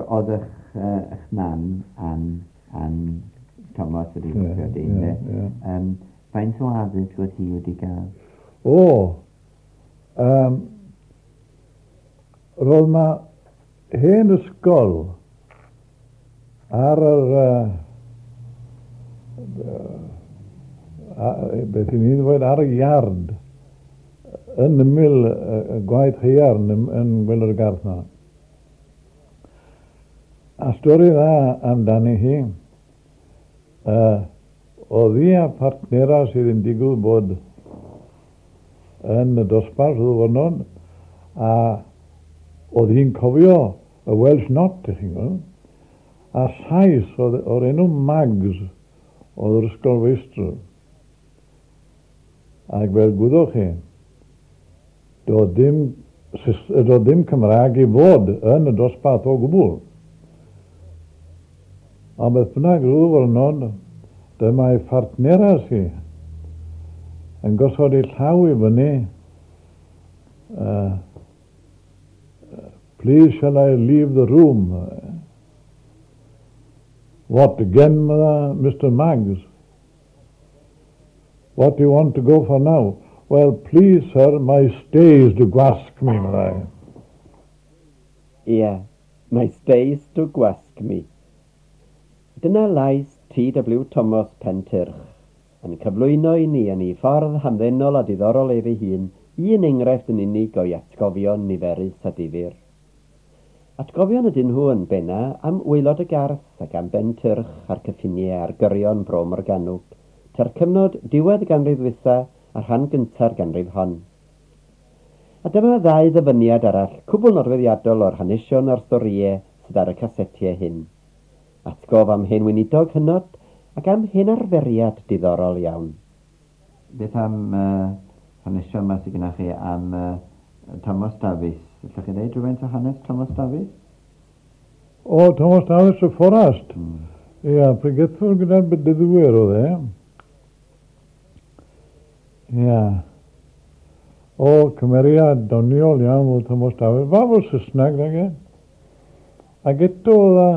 Oedd eich, eich mam, Ann, Ann Thomas wedi yeah, yeah, yeah. Faint o addysg oedd hi wedi gael? O, roedd ma hen ysgol ar yr beth i ni'n ddweud ar y iard yn ymyl y gwaith haearn yn gwaelod y garth 'na. A stori dda amdani hi, oedd hi a phartnera sydd yn digwydd bod yn y dosbarth o ddiwrnod, a oedd hi'n cofio y Welsh Not, ych chi'n gweld. A Sais oedd o'r enw Maggs oedd yr ysgolfeistr. Ac fel gwyddoch chi, doedd dim, doedd dim Cymraeg i fod yn y dosbarth o gwbl. Ond beth bynnag, rhyw ddiwrnod, dyma'i phartneras hi yn gosod ei llaw i fyny, "Please shall I leave the room?" "What again, Mr Maggs? What do you want to go for now?" "Well, please, sir, my stays do gwasg me," meddai. Ie, my stays do gwasg me. Dyna lais T.W. Thomas Pentyrch, yn cyflwyno i ni yn ei ffordd hamddenol a diddorol ef ei hun, un enghraifft yn unig o'i atgofion niferus a difyr. Atgofion ydyn nhw yn benna am waelod y Garth ac am Bentyrch a'r cyffiniau ar gyrion Bro Morgannwg, tua'r cyfnod diwedd y ganrif ddwytha a rhan gynta'r ganrif hon. A dyma ddau ddyfyniad arall cwbl nodweddiadol o'r hanesion a'r storïau sydd ar y casetiau hyn. Atgof am hen weinidog hynod ac am hen arferiad diddorol iawn. Beth am hanesion 'ma sydd gennych chi am Thomas Davies? Allwch chi ddeud rhywfaint o hanes Thomas Davies? O, Thomas Davies y Fforest. Ia, pregethwr gyda'r Bedyddwyr oedd e. Ia. O, cymeriad doniol iawn oedd Thomas Davies. Fab o'r Saesneg, nag e? Ac eto oedd e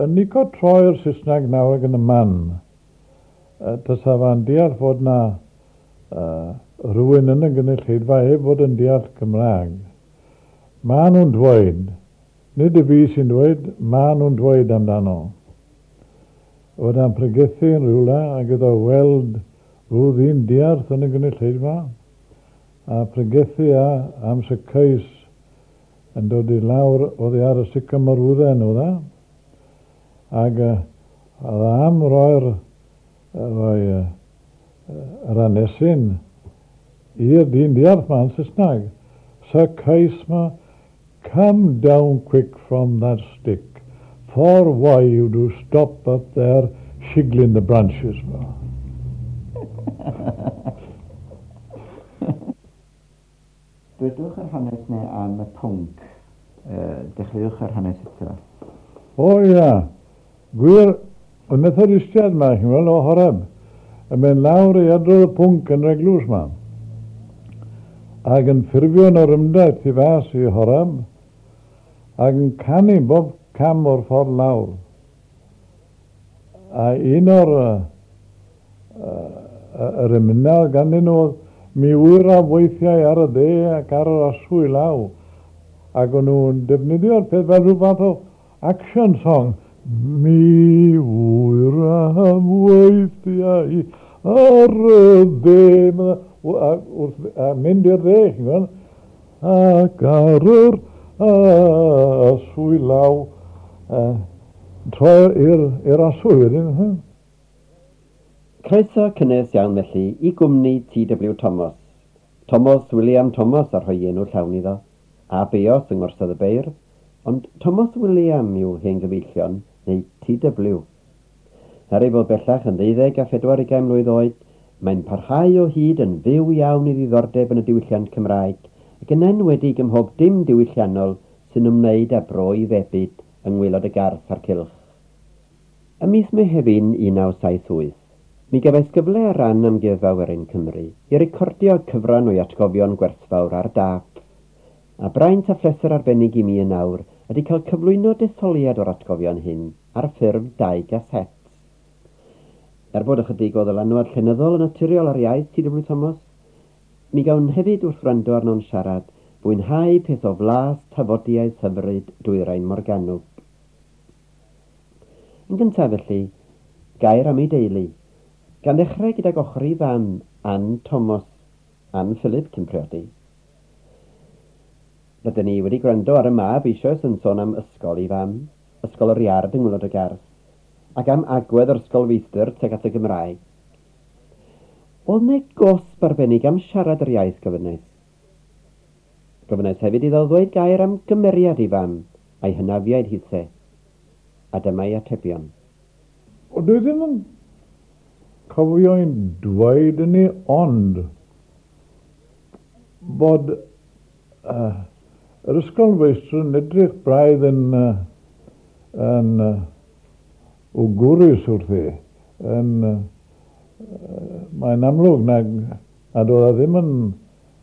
yn lico troi'r Saesneg nawr ac yn y man. Tasa fa'n deall fod 'na rhywun yn y gynulleidfa heb fod yn deall Cymraeg. Maen nhw'n dweud, nid y fi sy'n dweud, maen nhw'n dweud amdano. Fod e'n pregethu yn rhywle ac iddo weld rhyw ddyn diarth yn y gynulleidfa a pregethu a am Zacchaeus yn dod i lawr oddi ar y sycamorwydden oedd e. Ac oedd e am roi'r rhoi yr hanesyn i'r dyn diarth 'ma yn Saesneg. "Zacchaeus 'ma, come down quick from that stick, for why you do stop up there shiggling the branches?" 'Ma. Dwedwch yr hanes 'ne am y pwnc. Dechreuwch yr hanes eto. O ia, gwir, y Methodistiaid 'ma, chi'n weld, o Horeb, yn mynd lawr i adrodd y pwnc yn yr eglwys 'ma. Ac yn ffurfio yn orymdaith tu fas i Horeb, ac yn canu bob cam o'r ffordd lawr. A un o'r yr emynau ganddyn nhw oedd "Mi wyraf weithiau ar y dde ac ar yr aswy law." Ac o'n nhw'n defnyddio'r peth fel rhyw fath o action song. Mi wyraf weithiau ar y dde, a wrth a mynd i'r dde, chi'n gweld, ac ar yr aswy law, troi i'r aswy wedyn. Croeso cynnes iawn felly i gwmni TW Thomas. Thomas William Thomas a rhoi enw llawn iddo, a Beos yng Ngorsedd y Beirdd, ond Thomas William yw hen gyfeillion, neu TW. Er ei fod bellach yn ddeuddeg a phedwar ugain mlwydd oed, mae'n parhau o hyd yn fyw iawn i ddiddordeb yn y diwylliant Cymraeg, ac yn enwedig ym mhob dim diwylliannol sy'n ymwneud â bro ei febyd yng ngwaelod y Garth a'r cylch. Ym mis Mehefin 1978, mi gefais gyfle ar ran Amgueddfa Werin Cymru i recordio cyfran o'i atgofion gwerthfawr ar dâp. A braint a phleser arbennig i mi yn awr ydy cael cyflwyno detholiad o'r atgofion hyn ar ffurf dau gaset. Er bod ychydig o ddylanwad llenyddol yn naturiol ar iaith T.W. Thomas, mi gawn hefyd wrth wrando arno'n siarad fwynhau peth o flas tafodiaeth hyfryd Dwyrain Morgannwg. Yn gyntaf felly, gair am ei deulu, gan ddechrau gydag ochr ei fam, Ann Thomas, Ann Philip cyn priodi. Rydyn ni wedi gwrando ar y mab eisoes yn sôn am ysgol ei fam, Ysgol yr Iard yng Ngwaelod y Garth, ac am agwedd yr ysgolfeistr tuag at y Gymraeg. Oedd 'ne gosb arbennig am siarad yr iaith, gofynnais. Gofynnais hefyd iddo ddweud gair am gymeriad ei fam a'i hynafiaid hithe. A dyma'i atebion. O, dwi ddim yn cofio i'n dweud hynny ond bod yr ysgolfeistr yn edrych braidd yn yn wgwrus wrthi, yn mae'n amlwg nag nad oedd e ddim yn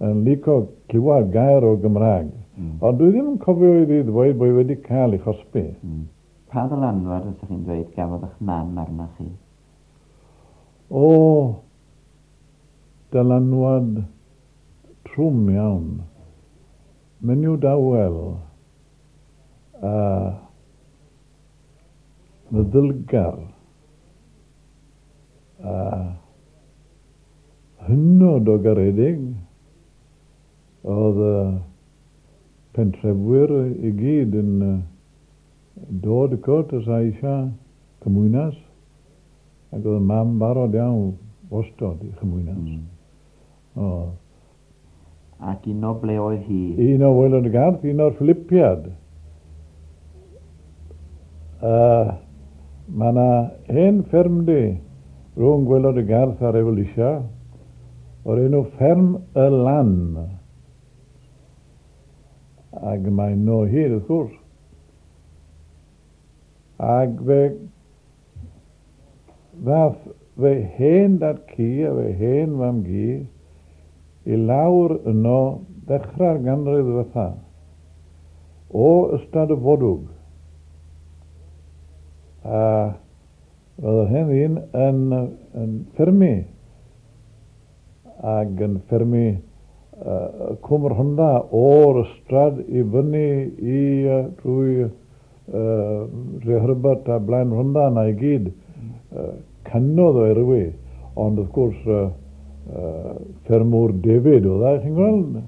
yn lico clywed gair o Gymraeg. Ond dwi ddim yn cofio iddi ddweud bod hi wedi cael ei chosbi. Pa ddylanwad fysech chi'n dweud gafodd eich mam arnoch chi? O, dylanwad trwm iawn. Menyw dawel a meddylgar a hynod o garedig. Oedd y pentrefwyr i gyd yn dod cwrt os a eisiau cymwynas, ac oedd y mam barod iawn wastod i chymwynas. Oedd. Ac un o ble oedd hi? Un o Waelod y Garth, un o'r Philipiad. Uh, mae yna hen ffermdy rhwng Gwaelod y Garth a'r Evolusia o'r enw Fferm y Lan. Ac mae yno hyd, wrth gwrs. Ac fe ddath fy hen dad cu a fy hen fam gu i lawr yno ddechrau'r ganrif ddiwetha, o Ystad y Fodwg. A roedd yr hen ddyn yn, yn ffermu ac yn ffermu uh, Cwm Rhondda o'r ystrad i fyny i uh, drwy uh, Herbert a Blaen Rhondda yna i gyd. Cannoedd o erwi, ond wrth gwrs ffermwr David oedd e, chi'n gweld?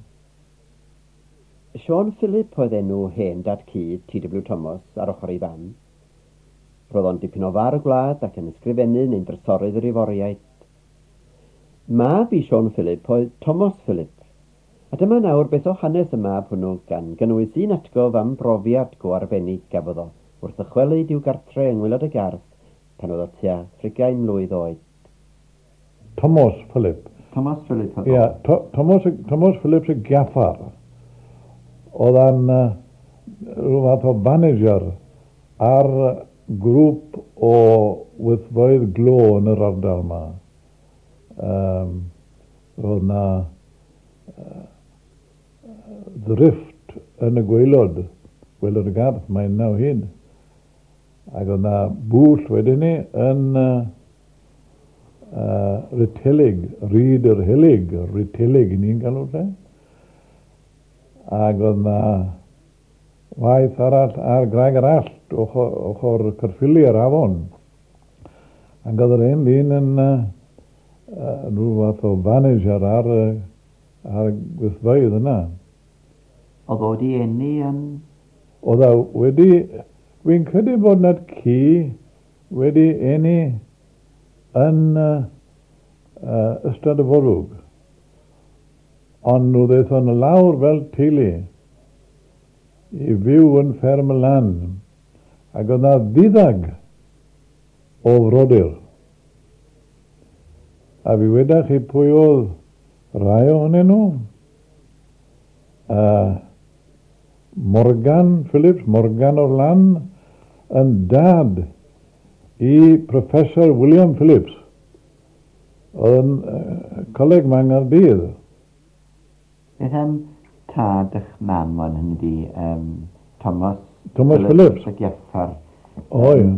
Siôn Philip oedd enw hen dad-cu TW Thomas ar ochr ei fam. Roedd o'n dipyn o far y gwlad ac yn ysgrifennu neu'n drysorydd yr Iforiaid. Mab i Siôn Philip oedd Tomos Philip. A dyma nawr beth o hanes y mab hwnnw gan gynnwys un atgof am brofiad go arbennig gafodd o wrth ddychwelyd i'w gartre yng Ngwaelod y Garth pan oedd o tua thrigain mlwydd oed. Tomos Philip. Tomos Philip oedd o? Ia, Tomos, Tomos Phillips y Gaffar. Oedd a'n rhyw fath o manager ar grŵp o wythfeydd glo yn yr ardal 'ma. Yym, roedd 'na ddrifft yn y gwaelod, gwaelod y garth, mae yna o hyd. Ac oedd 'na bwll wedyn 'ny yn Rhythelig, Rhyd yr Helyg, Rhythelig 'y ni'n galw'r lle. Ac oedd 'na waith arall ar Graig yr Allt, ochr, ochr Caerffili yr afon. Ac oedd yr hen ddyn yn rhyw fath o manager ar, ar gweithfeydd yna. Oedd o wedi eni yn... Oedd o wedi... Dwi'n credu bod 'na ci wedi eni yn Ystad y Forwg. Ond nhw ddaethon nhw lawr fel teulu i fyw yn fferm y lan, ac oedd 'na ddiddag o frodyr. A fi weda chi pwy oedd rhai ohonyn nhw. Morgan Phillips, Morgan o'r Lan, yn dad i Professor William Phillips, oedd yn coleg 'ma yng Nghaerdydd. Beth am tad ych mam wan, hynny ydi, Thomas Thomas Phillips. Y Giaffar. O, ie.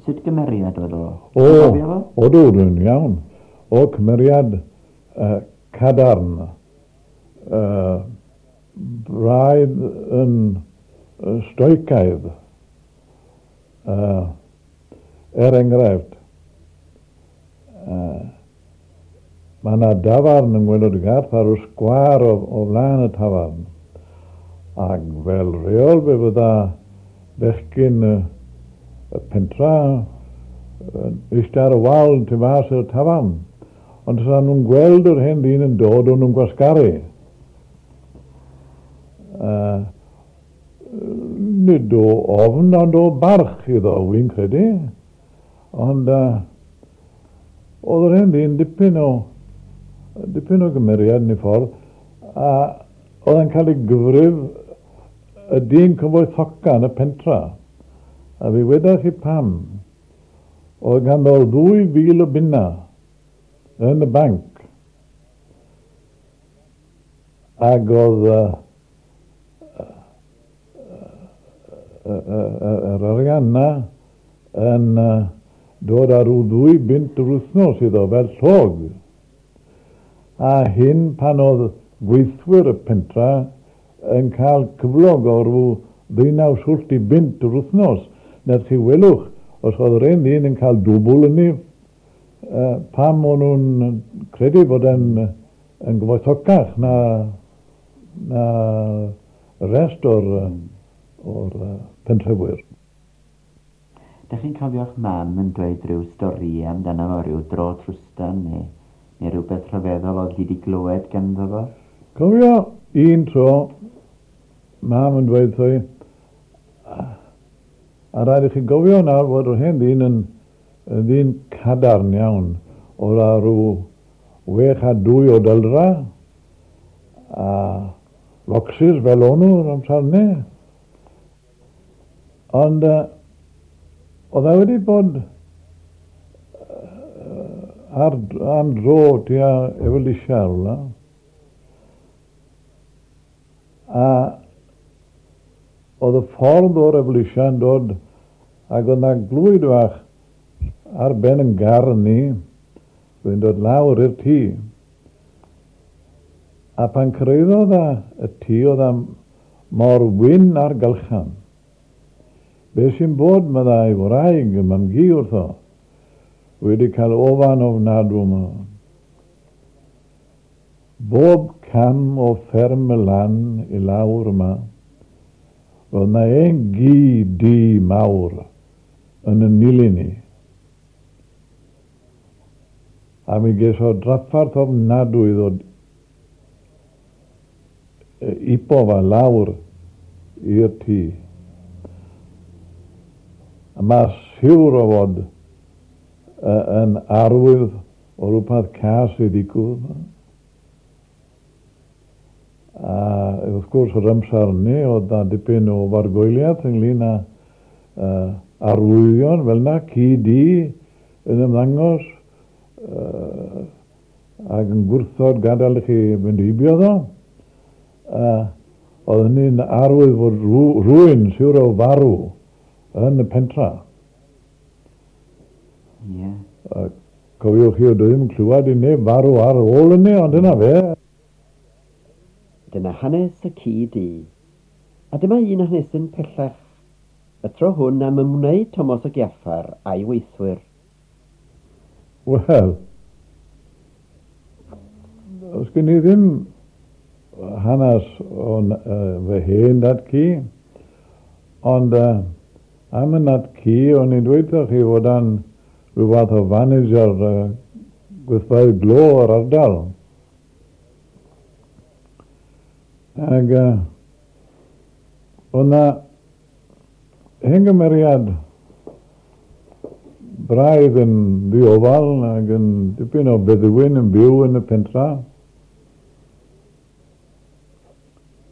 Sut gymeriad oedd o? O, o do, dwi'n iawn. O, cymeriad cadarn. Braidd yn stoicaidd. Er enghraifft, mae yna dafarn yng Ngwaelod y Garth ar y sgwâr o flaen y tafarn. Ac fel rheol fe fydda bechgyn y pentra eistedd ar y wal tu fas i'r tafarn. Ond os nhw'n gweld yr hen ddyn yn dod, o'n nhw'n gwasgaru. Nid o ofn, ond o barch iddo, wy'n credu. Ond oedd yr hen ddyn dipyn o gymeriad yn ei ffordd, a oedd yn cael ei gyfrif y dyn cyfoethoca yn y pentra. A fi wedodd chi pam. Oedd ganddo 2,000 o bunna yn y banc. Ac oedd yr arian na yn dod ar rhyw 2 bunt yr wythnos iddo fel llog. A hyn pan oedd gweithwyr y pentra yn cael cyflog o rhyw 19 swllt i bunt yr wythnos. Nawr chi welwch, os oedd yr un ddyn yn cael dwbl yn ni, pam o'n nhw'n credu bod yn gyfoethocach na rest o'r pentrefwyr. Dach chi'n cofio'ch mam yn dweud rhyw stori amdano fo, rhyw dro trwstan neu rhywbeth rhyfeddol oedd hi wedi glywed ganddo fo? Cofio un tro, mam yn dweud wrtho i, a rhaid i chi gofio nawr fod yr hen ddyn yn ddyn cadarn iawn, oedd â rhyw 6 a 2 o dyldra, a locsys fel o'n nhw'r amser 'ny. Ond oedd e wedi bod am dro tua Evelisia rhywle. A oedd y ffordd o'r Evelisia yn dod, ac oedd yna glwyd fach ar ben yn gar ni, oedd yn dod lawr i'r tŷ. A pan cyrhaeddodd y tŷ oedd mor wyn ar gylchan. Be sy'n bod, meddai wraig y mam-gu wrtho, wedi cael ofan ofnadw yma. Bob cam o fferm y lan i lawr yma, roedd yna un gi du mawr yn y nilyn ni. A mi ges o drafferth ofnadw i ddod ipo fa lawr i'r tŷ. A mae siwr o fod yn arwydd o rhywbeth cas i ddigwydd. A wrth gwrs yr amser ni oedd na dipyn o fargoeliaeth ynglyn â arwyddion fel na, ci du yn ymddangos ac yn gwrthod gadael i chi fynd heibio ddo. Oedd hynny'n arwydd fod rhywun siwr o farw yn y pentra. Ie. Cofiwch chi, oedd ddim clywed i neb farw ar ôl hynny, ond dyna fe. Dyna hanes y ci du. A dyma un hanesyn pellach. Y tro hwn am ymwneud Tomos y Giaffar a'i weithwyr. Wel, os gen i ddim hanes o'n fy hen dad-cu, ond am y nad-cu, o'n i'n dweud wrthoch chi fod yn rhyw fath o fanager gweithfeydd glo o'r ardal. Ac oedd na hen gymeriad braidd yn ddiofal ac yn dipyn o feddwyn yn byw yn y pentra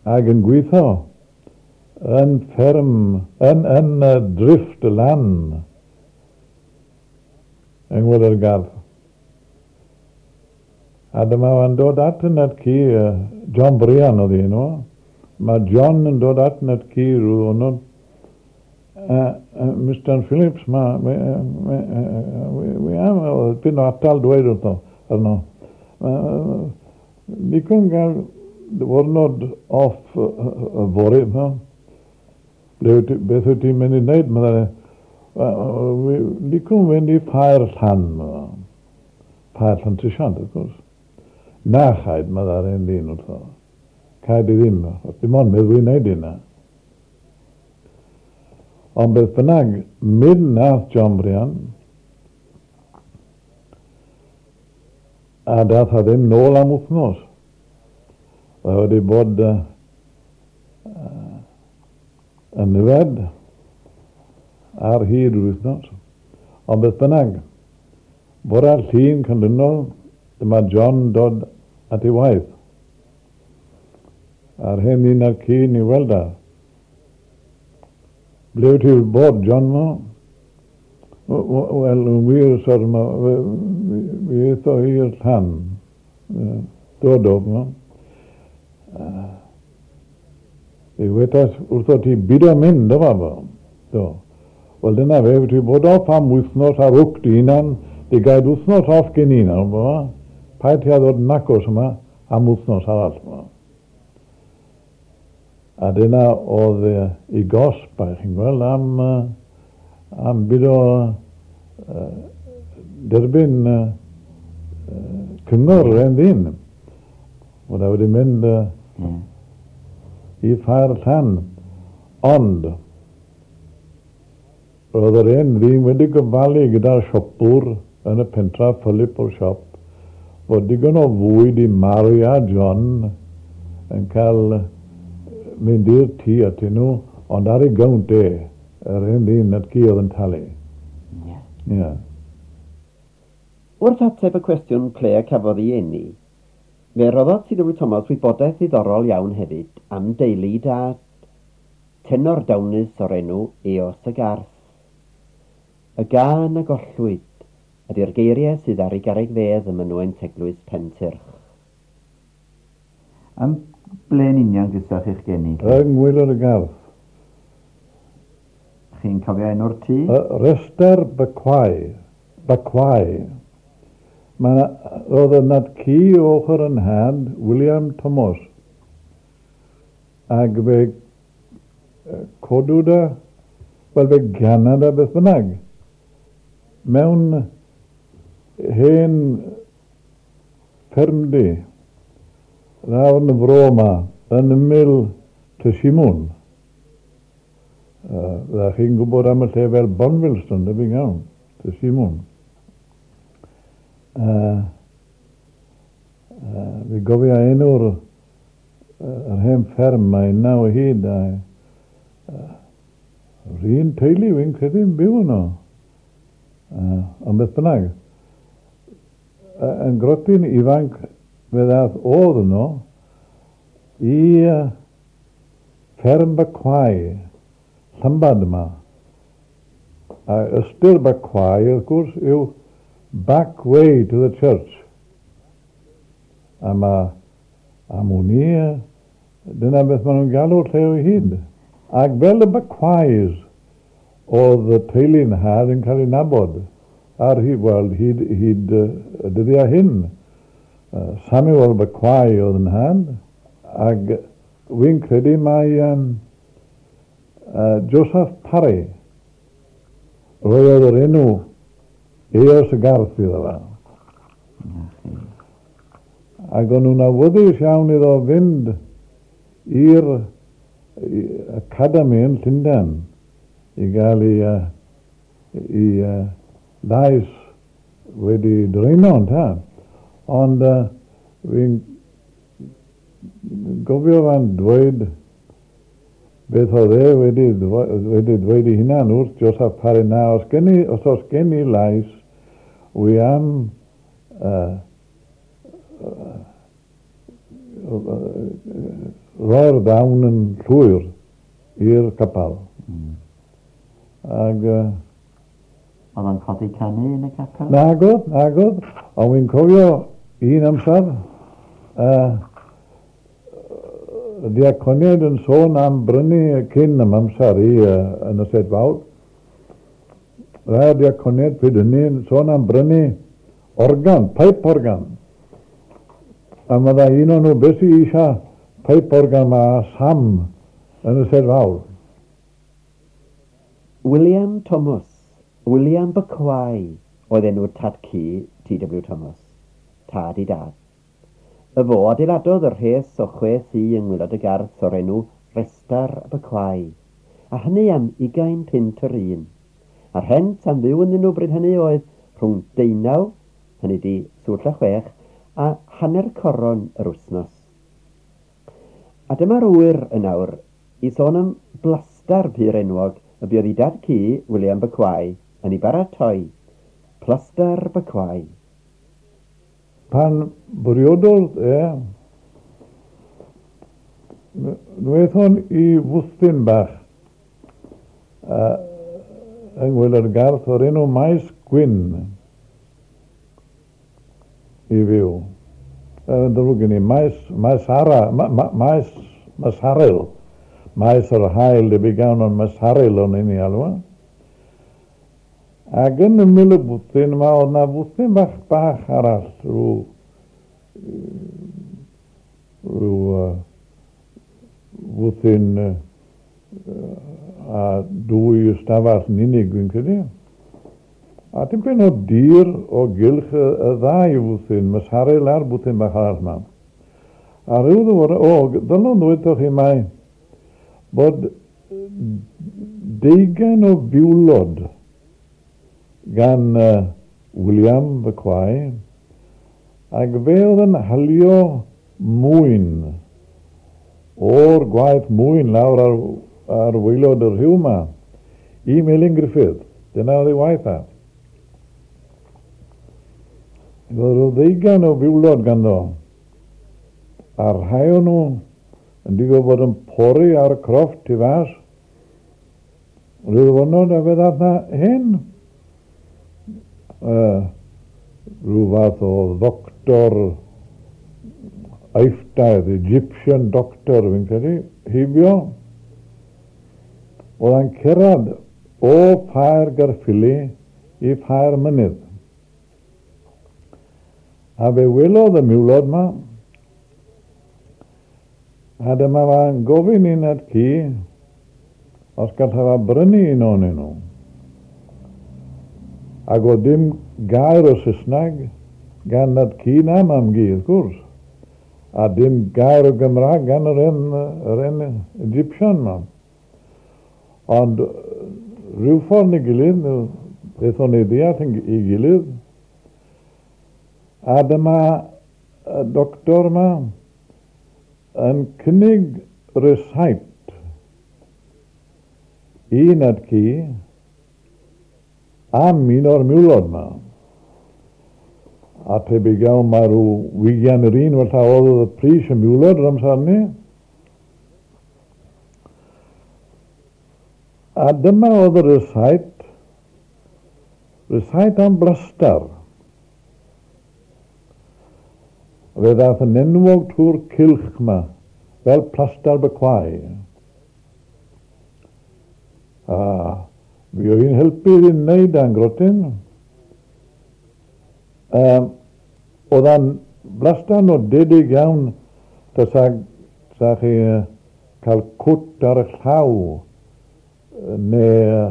ac yn gweithio yn fferm, yn y drifft y lan yng Ngwaelod y Garth. A dyma fo'n dod at y nad-cu, John Brian oedd enw. Mae John yn dod at y nad-cu rhyw ddiwrnod Mr Phillips, ma, wi am, oedd dipyn o atal dweud wrtho, arno. Licwn gael diwrnod off yfory, ma. Ble wyt ti, beth wyt ti'n mynd i wneud? Meddai, licwn fynd i Ffair Llan, meddai. Ffair Llantrisant, wrth gwrs. Na chaid, meddai'r hen ddyn wrtho. Caid i ddim, achos dim ond meddwi wneud hynna. Ond beth bynnag, mynd nath John Brian, a dath a ddim nôl am wythnos. Mae wedi bod yn yfed ar hyd yr wythnos. Ond beth bynnag, bore'r Llun canlynol, dyma John dod at ei waith. A'r hen ddyn a'r ci yn ei weld a. Ble wyt ti wedi bod, John, ma? Wel, yn wir, syr, ma, fi aetho i'r llan. Do, do, ma. Fe wetas wrtho ti bido mynd, do, fa, Do. Wel, dyna fe, wyt ti bod off am wythnos ar hwc dy hunan, di gael wythnos off gen i nawr, ma. Paid ti â ddod nacos yma am wythnos arall, ma. A dyna oedd ei gosb, a chi'n gweld, am, am bido derbyn cyngor yr hen ddyn. Fod e wedi mynd i Ffair Llan. Ond, roedd yr hen ddyn wedi gofalu gyda'r siopwr yn y pentref, Philip o'r siop, fod digon o fwyd i Mary a John yn cael mynd i'r tŷ atyn nhw, ond ar ei gownt e, yr hen ddyn at ci oedd yn talu. Ie. Ie. Wrth ateb y cwestiwn ple y cafodd ei eni, fe roddodd TW Thomas wybodaeth ddiddorol iawn hefyd am deulu ei dad, tenor dawnus o'r enw Eos y Garth. Y gân a gollwyd ydi'r geiriau sydd ar ei garreg fedd ym mynwent eglwys Pentyrch. Am ble yn union gysoch chi'ch geni? Yng ngwaelod y garth. Chi'n cofio enw'r tŷ? Y rhestr Bacwau. Bacwau. Mae 'na, roedd y nad-cu o ochr 'y nhad, William Tomos, ag fe codwyd e, wel fe ganad e beth bynnag, mewn hen ffermdy lawr yn y fro 'ma, yn ymyl Tŷ Simwn. Fyddech chi'n gwybod am y lle fel Bonvilston, debyg iawn, Tŷ Simwn. Fi gofio enw'r yr hen fferm, mae yna o hyd, a yr un teulu fi'n credu yn byw yno. Ond beth bynnag, yn grotyn ifanc fe ddath o'dd yno i fferm Bacwau, Llambad yma. A ystyr Bacwau, wrth gwrs, yw back way to the church. A ma, am wn i, dyna beth maen nhw'n galw'r lle o hyd. Ac fel y Bacways oedd y teulu nhad yn cael ei nabod ar hyd, wel, hyd, hyd y dyddiau hyn. Samuel Bacway oedd yn nhad, ac wy'n credu mai Joseph Parry roedd yr enw Eos y Garth iddo fe. Ac o'n nhw'n awyddus iawn iddo fynd i'r academi yn Llundain i gael ei, ei lais wedi dreino, ynte. Ond fi'n gofio fe'n dweud beth oedd e wedi, wedi dweud ei hunan wrth Joseph Parry, na, os, gen i, os oes gen i lais, wi am roi'r ddawn yn llwyr i'r capel. Ag... Oedd o'n codi canu yn y capel? Nagodd, nagodd, ond wi'n cofio un amser, Diaconiaid yn sôn am brynu cyn am amser i yn y Sedd Fawr. Rhai o'r diaconiaid pryd hynny yn sôn am brynu organ, pipe organ. A meddai un o'n nhw, beth sydd eisiau pipe organ ma Sam yn y Sedd Fawr? William Thomas, William Bycwai oedd enw'r tad-cu T.W. Thomas, tad i dad. Y fo adeiladodd y rhes o chwe thŷ yng ngwaelod y garth o'r enw Restar Bycwai, a hynny am ugain punt yr un. A'r rhent am fyw ynddyn nhw bryd hynny oedd rhwng deunaw, hynny ydi swllt a chwech, a hanner coron yr wythnos. A dyma'r ŵyr yn awr i sôn am blastar pur enwog y buodd ei dad-cu, William Bycwai, yn ei baratoi, Plastar Bycwai. Pan briododd e, wnaethon i fwthyn bach yng ngwaelod y garth o'r enw Maes Gwyn i fyw. Yn ddrwg gen i, Maes, Maes Ara, ma, ma, Maes Masaril. Maes yr Haul, debyg iawn, ond Masaril o'n i'n ei alw. Ac yn ymyl y bwthyn yma oedd 'na fwthyn bach bach arall, rhyw, rhyw fwthyn a dwy ystafell yn unig, fi'n credu. A tipyn o dir o gylch y, y ddau fwthyn, Mysaril a'r bwthyn bach arall yma. A rhyw ddwr, o, ddylwn ddweud chi mai bod deugain o fiwlod gan William Bycwai, ac fe oedd yn halio mwyn o'r gwaith mwyn lawr ar, ar waelod y rhiw 'ma i Melin Griffith. Dyna oedd ei waith a. Roedd rhyw ddeugain o fiwlod ganddo, a rhai o'n nhw yn digwydd bod yn pori ar y crofft tu fas. Rhyw ddiwrnod a fe ddath 'na hen rhyw fath o ddoctor Eifftaidd, Egyptian doctor fi'n credu, heibio. Oedd e'n cyrraedd o Ffair Gaerffili i Ffair Mynydd. A fe welodd y miwlod 'ma, a dyma fa'n gofyn i nhad-cu os gallai fa brynu un ohonyn nhw. Ac oedd dim gair o Saesneg gan nhad-cu na mam-gu, wrth gwrs, a dim gair o Gymraeg gan yr hen, yr hen Egyptian 'ma. Ond rhyw ffordd neu gilydd, aethon ni ddeall ei gilydd, A dyma y doctor 'ma yn cynnig rysáit i nhad-cu am un o'r miwlod 'ma. A tebyg iawn mai rhyw ugian yr un falla oedd y pris y miwlod yr amser 'ny. A dyma oedd y rysáit, rysáit am blastar. Fe ddaeth yn enwog trwy'r cylch 'ma fel Plastar Bycwai. A fuodd hi'n helpu fi wneud a'n grotyn. Um, oedd a'n blastar nodedig iawn tasa, sa chi cael cwt ar eich llaw neu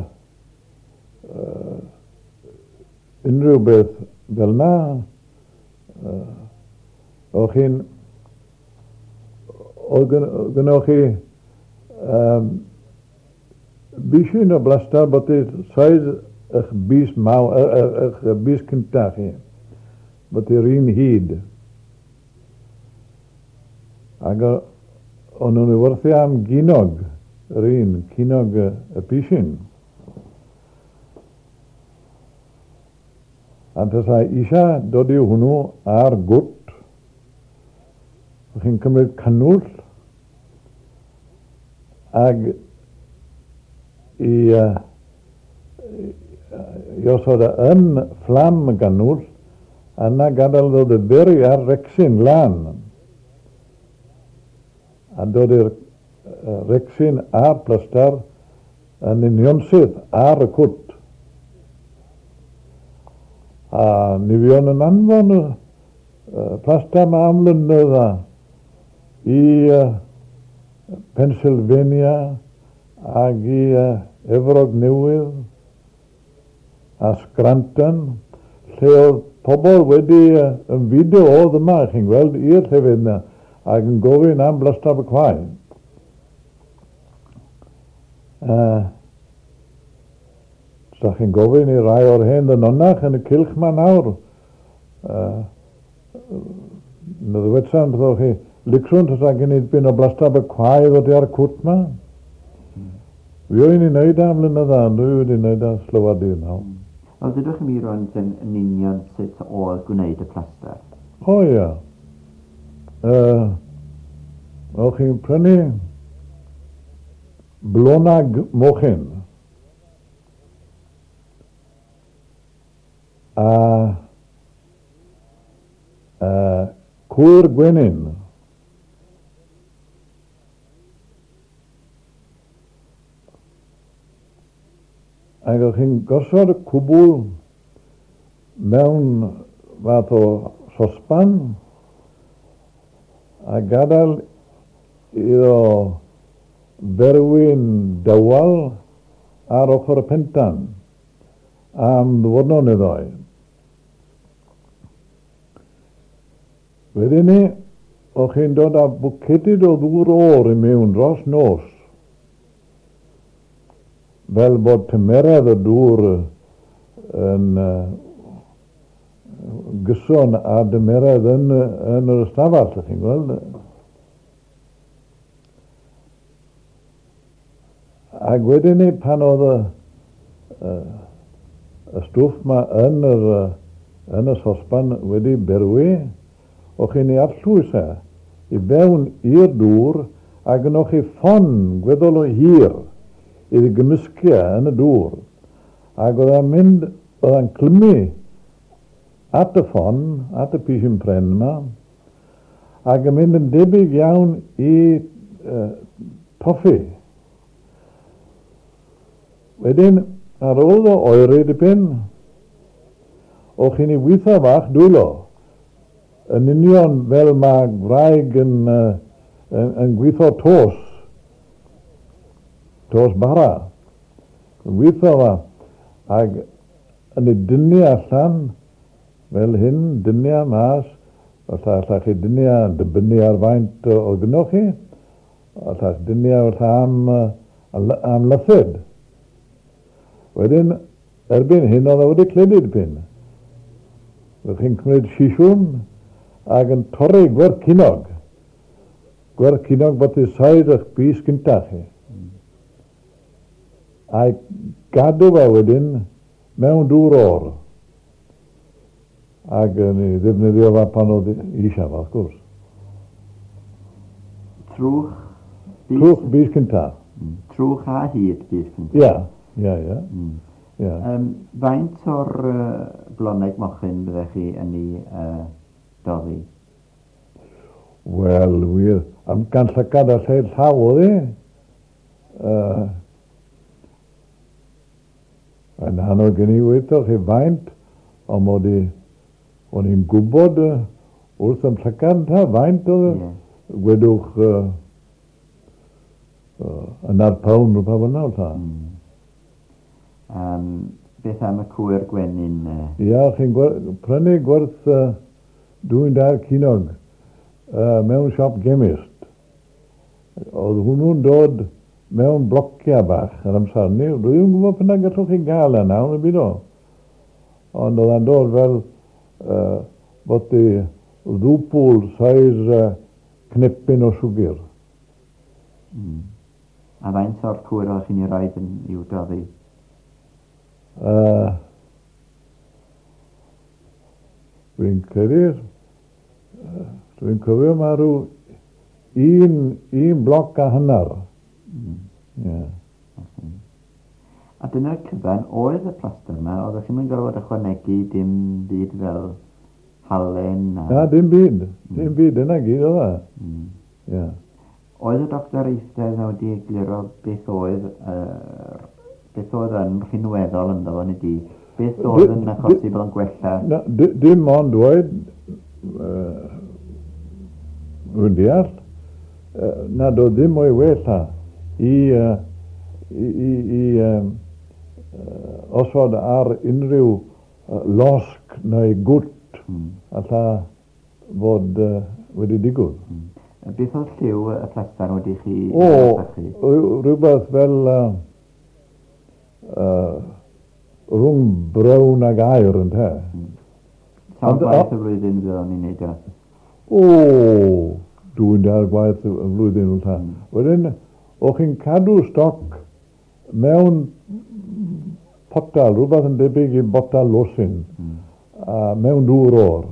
unrhyw beth fel 'na. O'ch chi'n... Oedd gynnoch chi bishyn o blastar byti size eich bys mawr, eich bys cynta chi, byty'r un hyd. Ac o'n nhw'n ei werthu am ginog, yr un, cinog y pishyn. A tasai eisiau dod i hwnnw ar gwt, o'ch chi'n cymryd cannwyll ag i, i osod e yn fflam y gannwyll a yna gadael iddo ddifyrru ar recsyn lân. A dod i'r recsyn a'r plastar yn unionsyth ar y cwt. A ni fuon yn anfon y plastar 'ma am flynydda i Pennsylvania ag i Efrog Newydd a Scranton, lle oedd pobl wedi ymfudo oedd yma, chi'n gweld, i'r llefydd yna, ac yn gofyn am blastar Abercwau. Os chi'n gofyn i rai o'r hen ddynonach yn y cylch 'ma nawr, na ddywedsan wrthoch chi, licrwn tasa gen i dipyn o blastar Abercwau ddod ar y cwt 'ma. Fi o'n i'n neud am flynydda, ond dwi wedi neud ers llawer dydd nawr. Wel, dydwch chi mi rwan yn union sut oedd gwneud y plastar? O ia. O'ch chi'n prynu blonag mochyn a cwyr gwenyn. Ac o'ch chi'n gosod y cwbl mewn fath o sosban a gadael iddo ferwi'n dawel ar ochr y pentan am ddiwrnod neu ddoi. Wedyn 'ny, o'ch chi'n dod â bwcedid o ddŵr oer i mewn dros nos, fel bod tymeredd y dŵr yn gyson â dymeredd yn, yn yr ystafell, ych chi'n gweld. Ac wedyn 'ny, pan oedd y, y, y stwff 'ma yn, yr, yn y sosban wedi berwi, o'ch chi'n ei arllwys e i fewn i'r dŵr ac yno chi ffon gweddol o hir iddi gymysgu e yn y dŵr. Ac oedd e'n mynd, oedd e'n clymu at y ffon, at y pishyn pren yma, ac yn mynd yn debyg iawn i toffi. Wedyn, ar ôl iddo oeri dipyn, o'ch chi'n ei weithio fach dwylo, yn union fel mae gwraig yn, yn, yn gweithio tos, tos bara. Yn gweithio fa, ac yn ei dynnu allan, fel hyn, dynnu a mas, falle allach chi dynnu a dibynnu ar faint o gynnoch chi, allach dynnu a falle am, am lythyd. Wedyn, erbyn hyn, oedd e wedi cledu dipyn. Roedd chi'n cymryd sisiwn ac yn torri gwerth cinog. Gwerth cinog bod i said eich bys gynta chi. A'i gadw fe wedyn mewn dŵr oer. Ac yn ei ddefnyddio fe pan oedd eisiau fe, wrth gwrs. Trwch bys? Trwch bys cynta. Trwch a hyd bys cynta? Ia, ia, ia. Ia. Faint o'r bloneg mochyn byddech chi yn ei doddi? Wel, wir, am gan llygad a lled llaw oedd hi. Yn anodd gen i weithio chi faint, ond mod i, o'n i'n gwybod wrth ym llygad ta faint oedd yeah. Gwedwch yna'r pound rhywbeth fel yna, ta. Beth am y cwyr gwenyn? Ia, chi'n prynu gwerth 2 ceiniog mewn siop gemist. Oedd hwnnw'n dod mewn blociau bach yn amser ni. Dwi ddim yn gwybod p'un ai gallwch chi gael e nawr, neu byd o. Ond oedd e'n dod fel bod i ddwbl size cnepyn o siwgr. A faint o'r cwyr o'ch chi'n ei roed yn i'w doddi? Dwi'n credu, dwi'n cofio mae rhyw un, un bloc a hanner. Yeah. Okay. A dyna'r cyfan oedd y plaster yma, oeddech chi'n gorfod ychwanegu dim byd fel halen a... Na, dim byd. Dim byd, dyna gyd oedd e. Yeah. Oedd y doctor eistedd na wedi egluro beth oedd, beth oedd yn rhinweddol ynddo fo, neu di? Beth oedd yn achosi bod o'n gwella? Na, dim ond dweud, rwy'n deall, nad oedd ddim o'i wella i osod ar unrhyw losg neu gwt alla fod wedi digwydd. Beth oedd lliw y plastar wedi chi O, sychu? Rhywbeth fel rhwng brown ag aur yn te. Sawl gwaith y flwyddyn fydd o'n ei wneud o? O, dwi'n dair gwaith y flwyddyn yn. Wedyn, o'ch chi'n cadw stoc mewn potal, rhywbeth yn debyg i botal losin, a mewn dŵr o'r.